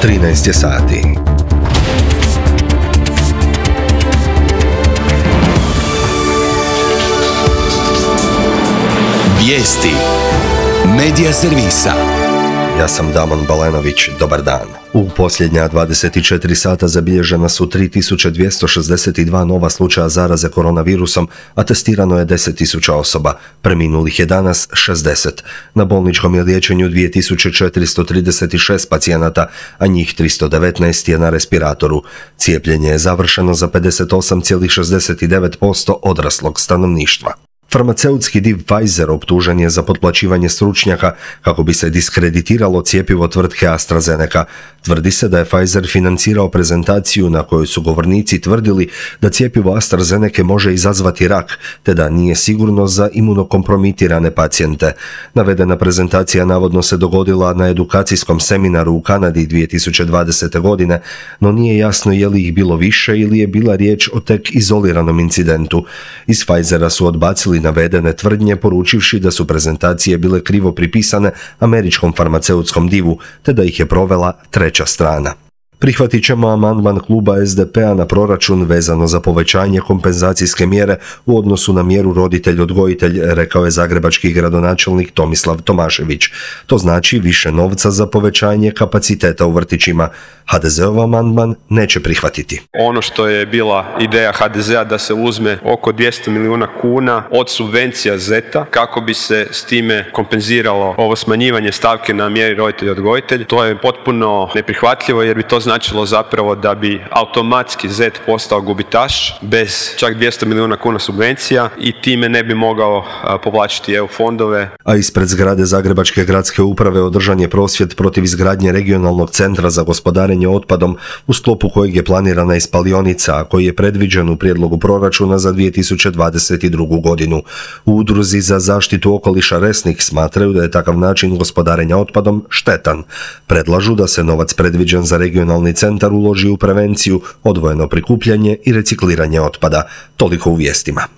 13 je sati. Vijesti Medija servisa. Ja sam Damon Balenović, dobar dan. U posljednja 24 sata zabilježena su 3262 nova slučaja zaraze koronavirusom, a testirano je 10.000 osoba. Preminulih je danas 60. Na bolničkom je liječenju 2436 pacijenata, a njih 319 je na respiratoru. Cijepljenje je završeno za 58,69% odraslog stanovništva. Farmaceutski div Pfizer optužen je za potplaćivanje stručnjaka kako bi se diskreditiralo cjepivo tvrtke AstraZeneca. Tvrdi se da je Pfizer financirao prezentaciju na kojoj su govornici tvrdili da cjepivo AstraZeneca može izazvati rak, te da nije sigurno za imunokompromitirane pacijente. Navedena prezentacija navodno se dogodila na edukacijskom seminaru u Kanadi 2020. godine, no nije jasno je li ih bilo više ili je bila riječ o tek izoliranom incidentu. Iz Pfizera su odbacili navedene tvrdnje, poručivši da su prezentacije bile krivo pripisane američkom farmaceutskom divu, te da ih je provela treća strana. Prihvatit ćemo amandman kluba SDP-a na proračun vezano za povećanje kompenzacijske mjere u odnosu na mjeru roditelj-odgojitelj, rekao je zagrebački gradonačelnik Tomislav Tomašević. To znači više novca za povećanje kapaciteta u vrtićima. HDZ-ov amandman neće prihvatiti. Ono što je bila ideja HDZ-a da se uzme oko 200 milijuna kuna od subvencija ZET-a kako bi se s time kompenziralo ovo smanjivanje stavke na mjeri roditelj-odgojitelj, to je potpuno neprihvatljivo jer bi to značilo zapravo da bi automatski ZET postao gubitaš bez čak 200 milijuna kuna subvencija i time ne bi mogao povlačiti EU fondove. A ispred zgrade Zagrebačke gradske uprave održan je prosvjed protiv izgradnje regionalnog centra za gospodarenje otpadom u sklopu kojeg je planirana i spalionica, a koji je predviđen u prijedlogu proračuna za 2022. godinu. U udruzi za zaštitu okoliša Resnik smatraju da je takav način gospodarenja otpadom štetan. Predlažu da se novac predviđen za regionalni centar uloži u prevenciju, odvojeno prikupljanje i recikliranje otpada. Toliko u vijestima.